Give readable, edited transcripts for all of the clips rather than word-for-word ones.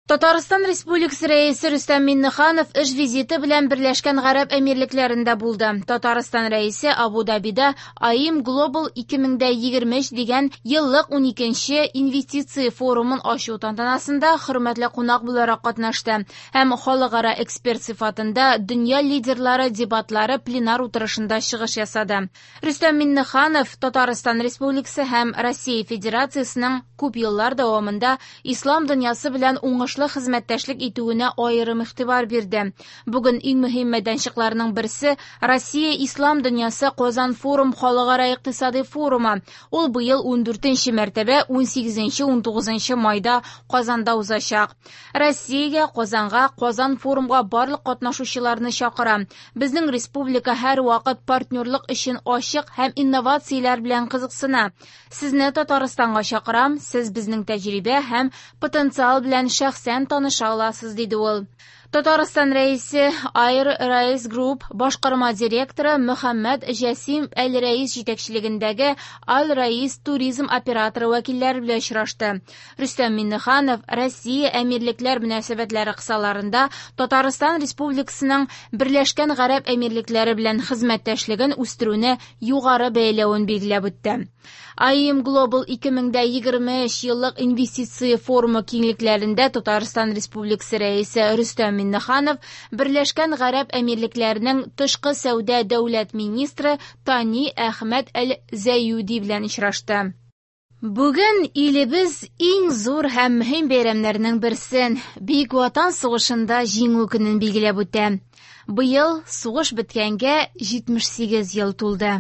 Татарстан Республикасы Рәисе Рөстәм Миңнеханов эш визиты белән Берләшкән Гарәп Әмирлекләрендә булды. Татарстан Рәисе Абу-Дабида АИМ Global 2023 дигән еллык 12нче инвестиция форумын ачу тантанасында хөрмәтле кунак буларак катнашты һәм халыкара эксперт сыйфатында дөнья лидерлары дебатлары пленар утырышында чыгыш ясады. Рөстәм Миңнеханов Татарстан Республикасы һәм Россия Федерациясенең күп еллар дәвамында ислам дөньясы белән уңышлы хезмәттәшлек итүенә аерым игътибар бирде. Бүген иң мөһим мәйданчыкларның берсе Россия Ислам дөньясы Казан форум халыкара икътисади форумы. Ул быел 14нче мәртәбә 18-19 майда Казанда узачак. Россиягә, Казанга, Казан форумга барлык катнашучыларны чакыра. Безнең республика һәрвакыт партнерлык өчен ачык һәм инновацияләр белән кызыксына. Сезне Татарстанга чакырам, сез безнең тәҗрибә һәм потенциал белән шәхсән таныша аласыз, диде ул. Татарстан Рәисе Air Race Group башкарма директоры Мөхәммәд Җәсим Әл-Рәис җитәкчелегендәге Аль-Раис туризм операторы вәкилләре белән очрашты. Рөстәм Миңнеханов Россия Әмирлекләр мөнәсәбәтләре кысаларында Татарстан Республикасының Берләшкән Гарәп Әмирлекләре белән хезмәттәшлеген үстерүне югары бәяләвен билгеләп үтте. АИМ Global 2023 еллык инвестиция форумы киңлекләрендә Татарстан Республикасы Рәисе Рөстәм Миңнеханов Берләшкән Гарәп Әмирлекләренең тышкы сәүдә дәүләт министры Тани Әхмәд Әл-Зәюди белән очрашты. Бүген илебез иң зур һәм мөһим бәйрәмнәрнең берсен – Бөек Ватан сугышында Җиңү көнен билгеләп үтә. Быел сугыш беткәнгә 78 ел тулды.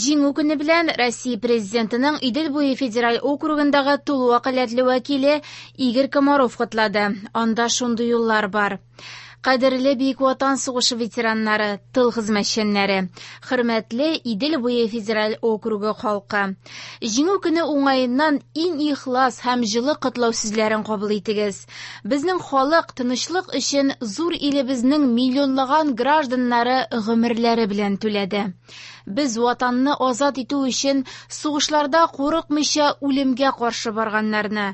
Җиңү көне белән Россия Президентының Идел буе федераль округындагы тулы вәкаләтле вәкиле Игорь Комаров котлады. Анда шундый юллар бар. Кадерле Бөек Ватан сугышы ветераннары, тыл хезмәтчәннәре, хөрмәтле Идел буе федераль округы халкы. Җиңү көне уңаеннан иң ихлас һәм җылы котлау сүзләрен кабул итегез. Безнең халык тынычлык өчен зур илебезнең миллионлаган гражданнары гомерләре белән түләде. Без ватанны азат итү өчен сугышларда курыкмыйча үлемгә каршы барганнарны,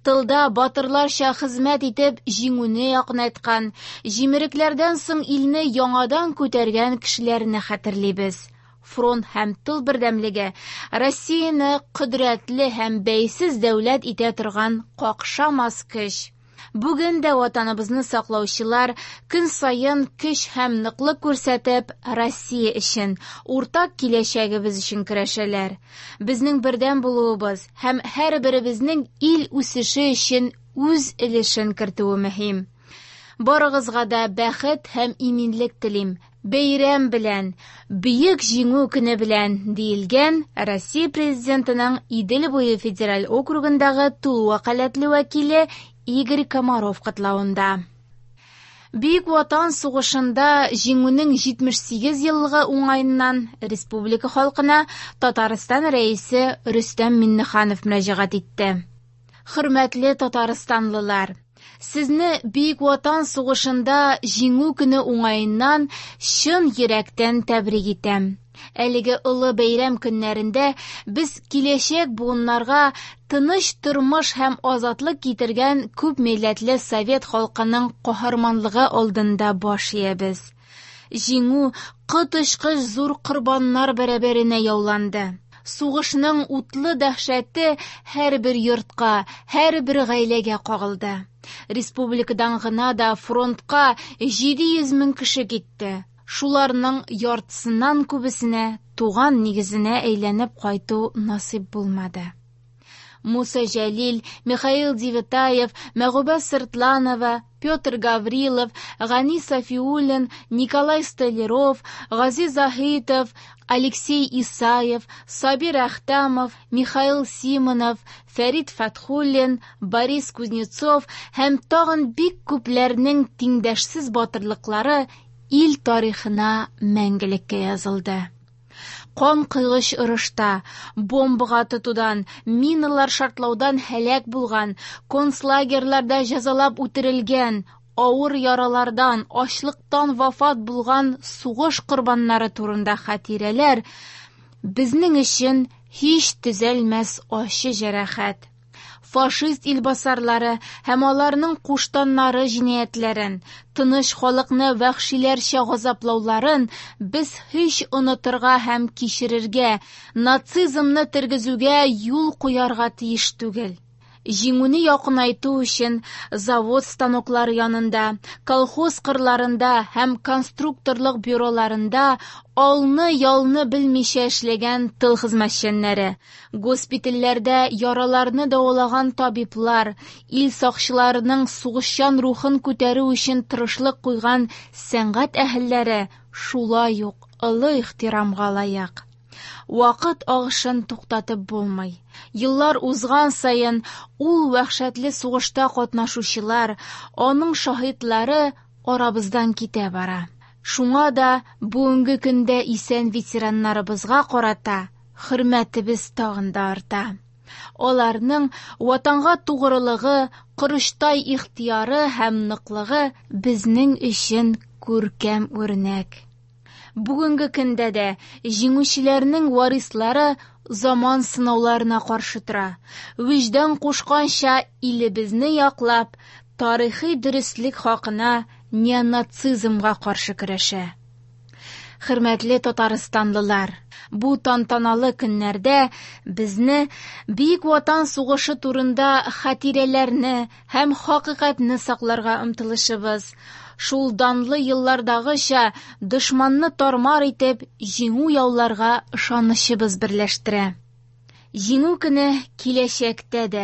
тылда батырларча хезмәт итеп җиңүне якынайткан, җимерекләрдән соң илне яңадан күтәргән кешеләрне хәтерлибез. Фронт һәм тыл бердәмлеге Россияне кодрәтле һәм бәйсез дәүләт итә торган какшамас көч. Бүген дә ватаныбызны саклаучылар көн саен көч һәм ныклык күрсәтеп Россия өчен, уртак киләчәгебез өчен көрәшәләр. Безнең бердәм булуыбыз һәм һәрберебезнең ил үсеше өчен үз өлешен кертүе мөһим. Барыгызга да бәхет һәм иминлек телим. Бәйрәм белән, Бөек Җиңү көне белән, диелгән Россия Президентының Идел буе федераль округындагы тулы вәкаләтле вәкиле Игорь Комаров котлавында. Бөек Ватан сугышында Җиңүнең 78 еллыгы уңаеннан республика халкына Татарстан Рәисе Рөстәм Миңнеханов мөрәҗәгать итте. Хөрмәтле татарстанлылар, сезне Бөек Ватан сугышында Җиңү көне уңаеннан чын йөрәктән тәбрик итәм. Әлеге олы бәйрәм көннәрендә без киләчәк буыннарга тыныч тормыш һәм азатлык китергән күп милләтле совет халкының каһарманлыгы алдында баш иябез. Җиңү коточкыч зур корбаннар бәрабәренә яуланды. Сугышның утлы дәһшәте һәрбер йортка, һәрбер гаиләгә кагылды. Республикадан гына да фронтка 700 мең кеше китте. Шуларның яртысыннан күбесенә туган нигезенә әйләнеп кайту насыйп булмады. Муса Җәлил, Михаил Девятаев, Мәгүбә Сыртланова, Петр Гаврилов, Гани Сафиуллин, Николай Столяров, Гази Заһитов, Алексей Исаев, Сабир Әхтәмов, Михаил Симонов, Фәрит Фәтхуллин, Борис Кузнецов һәм тагын бик күпләрнең тиңдәшсез батырлыклары ил тарихына мәңгелеккә язылды. Кан койгыч орышта, бомбага тотудан, миналар шартлаудан һәлак булган, концлагерьларда җәзалап үтерелгән, авыр яралардан, ачлыктан вафат булган сугыш корбаннары турында хатирәләр безнең өчен һич төзәлмәс ачы җәрәхәт. Фашист илбасарлары һәм аларның куштаннары җинаятьләрен, тыныч халыкны вәхшиләрчә газаплауларын без һич онытырга һәм кичерергә, нацизмны тергезүгә юл куярга тиеш түгел. Җиңүне якынайту өчен завод станоклары янында, колхоз кырларында һәм конструкторлык бюроларында алны-ялны белмичә эшләгән тыл хезмәтчәннәре, госпитальләрдә яраларны дәвалаган табиблар, ил сакчыларының сугышчан рухын күтәрү өчен тырышлык куйган сәнгать әһелләре шулай ук олы ихтирамга лаек. Вакыт агышын туктатып булмый. Еллар узган саен ул вәхшәтле сугышта катнашучылар, аның шаһитлары арабыздан китә бара. Шуңа да бүгенге көндә исән ветераннарыбызга карата хөрмәтебез тагын да арта. Аларның ватанга тугрылыгы, корычтай ихтыяры һәм ныклыгы безнең өчен күркәм үрнәк. Бүгенге көндә дә җиңүчеләрнең варислары заман сынауларына каршы тора. Вөҗдан кушканча илебезне яклап, тарихи дөреслек хакына неонацизмга каршы көрәшә. Хөрмәтле татарстанлылар, бу тантаналы көннәрдә безне Бөек Ватан сугышы турында хатирәләрне һәм хакыйкатьне сакларга омтылышыбыз, шул данлы еллардагыча дошманны тар-мар итеп, җиңү яуларга ышанычыбыз берләштерә. Җиңү көне киләчәктә дә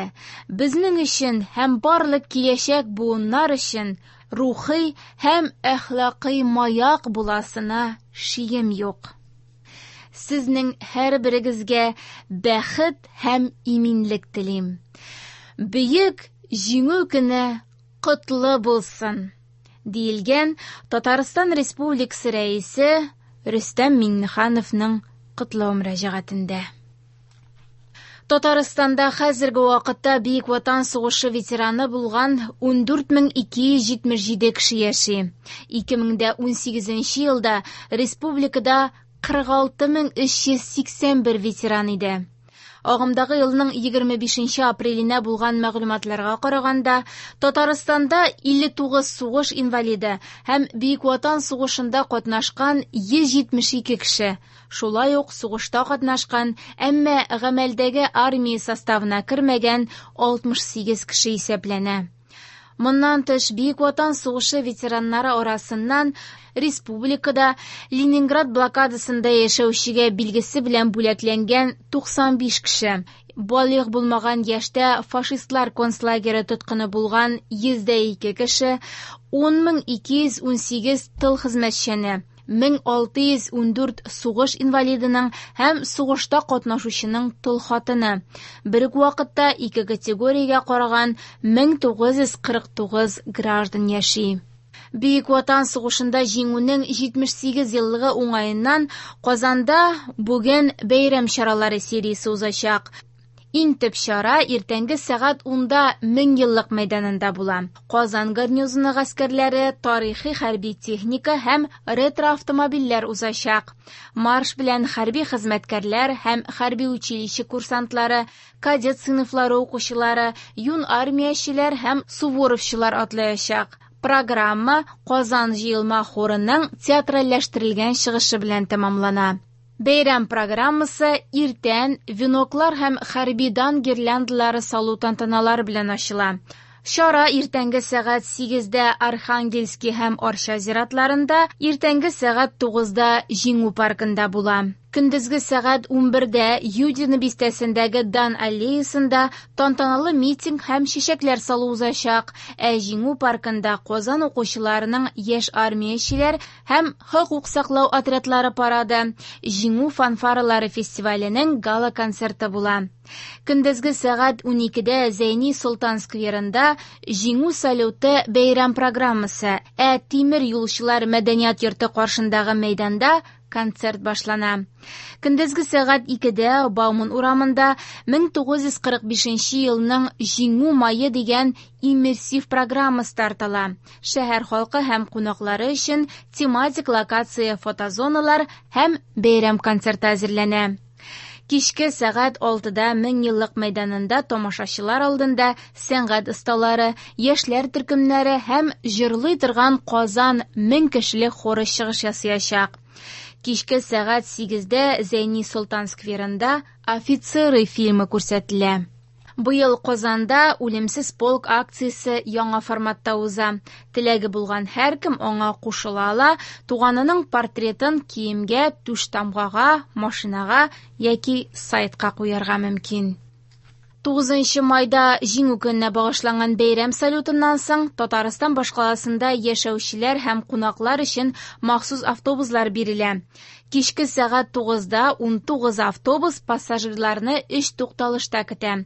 безнең өчен һәм барлык киләчәк буыннар өчен рухи һәм әхлакый маяк буласына шигем юк. Сезнең һәрберегезгә бәхет һәм иминлек телим. Бөек Җиңү көне котлы булсын! диелгән Татарстан Республикасы Рәисе Рөстәм Миңнехановның котлау мөрәҗәгатендә. Татарстанда хәзерге вакытта Бөек Ватан сугышы ветераны булган 14277 кеше яши. 2018 елда республикада 46381 ветеран иде. Агымдагы елның 25 апреленә булган мәгълүматларга караганда, Татарстанда 59 сугыш инвалиды һәм Бөек Ватан сугышында катнашкан 172 кеше, шулай ук сугышта катнашкан, әмма гамәлдәге армия составына кермәгән 68 кеше исәпләнә. Моннан тыш, Бөек Ватан сугышы ветераннары арасыннан республикада Ленинград блокадасында яшәүчегә билгесе белән бүләкләнгән 95 кеше, балигъ булмаган яшьтә фашистлар концлагере тоткыны булган 102 кеше, 10218 тыл хезмәтчәне, 1614 сугыш инвалидының һәм сугышта катнашучының тол хатыны. Бер үк вакытта ике категориягә караган 1949 граждан яши. Бөек Ватан сугышында җиңүнең 78 еллыгы уңаеннан Казанда бүген бәйрәм чаралары сериясе узачак. Иң төп чара иртәнге сәгать 10-да Меңьеллык мәйданында була. Казан гарнизоны гаскәрләре, тарихи хәрби техника һәм ретро-автомобильләр узачак. Марш белән хәрби хезмәткәрләр һәм хәрби училище курсантлары, кадет сыйныфлары укучылары, юн армиячеләр һәм суворовчылар атлаячак. Программа Казан җыелма хорының театральләштерелгән чыгышы белән тәмамлана. Бәйрәм программасы иртән веноклар һәм хәрби дан гирляндалары салу тантаналары белән ачыла. Чара иртәнге сәгать 8-дә Архангельский һәм Арча зиратларында, иртәнге сәгать 9-да Җиңү паркында була. Көндезге сәгать 11-дә Юдино бистәсендәге Дан аллеясында тантаналы митинг һәм чәчәкләр салу узачак, ә Җиңү паркында Казан укучыларының яшь армиячеләр һәм хокук саклау отрядлары парады, Җиңү фанфаралары фестиваленең гала-концерты була. Көндезге сәгать 12-дә Зәйни Солтан скверында Җиңү салюты бәйрәм программасы, ә Тимер юлчылар мәдәният йорты каршындагы мәйданда концерт башлана. Көндезге сәгать 2-дә Бауман урамында 1945 елның Җиңү мае дигән иммерсив программа старт ала. Шәһәр халкы һәм кунаклары өчен тематик локация фотозоналар һәм бәйрәм концерты әзерләнә. Кичке сәгать 6-да Меңьеллык мәйданында тамашачылар алдында сәнгать осталары, яшьләр төркемнәре һәм җырлый торган Казан 1000 кешелек хоры чыгыш ясаячак. Кичке сәгать 8-дә Зәйни Солтан скверында «Офицеры» фильмы күрсәтелә. Быел Казанда «Үлемсез полк» акциясе яңа форматта уза. Теләге булган һәркем аңа кушыла ала, туганының портретын киемгә, түштамгага, машинага яки сайтка куярга мөмкин. 9 майда Җиңү көненә багышланган бәйрәм салютыннан соң Татарстан башкаласында яшәүчеләр һәм кунаклар өчен махсус автобуслар бирелә. Кичке сәгать 9-да 19 автобус пассажирларны 3 тукталышта көтә.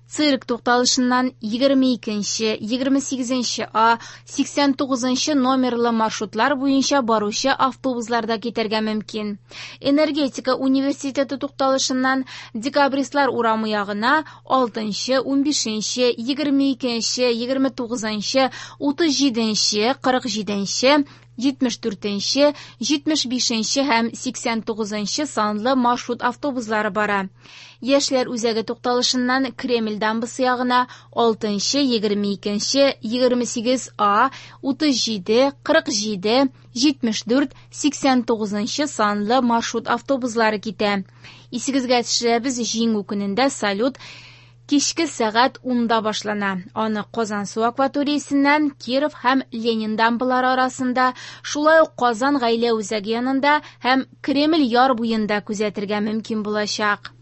Цирк тукталышыннан 22-нче, 28-нче А, 89-нчы номерлы маршрутлар буенча баручы автобусларда китәргә мөмкин. Энергетика университеты тукталышыннан Декабристлар урамы ягына 6-нчы, 15-нче, 22-нче, 29-нчы, 37-нче, 47-нче, 74-нче, 75-нче һәм 89-нчы санлы маршрут автобуслары бара. Яшьләр үзәге тукталышыннан Кремль дамбасы ягына 6-нчы, 22-нче, 28 А, 37, 47, 74, 89-нчы санлы маршрут автобуслары китә. Исегезгә төшерәбез, Җиңү көнендә салют кичке сәгать 10-да башлана. Аны Казансу акваториясеннән Киров һәм Ленин дамбалары арасында, шулай ук Казан гаилә үзәге янында һәм Кремль яр буенда күзәтергә мөмкин булачак.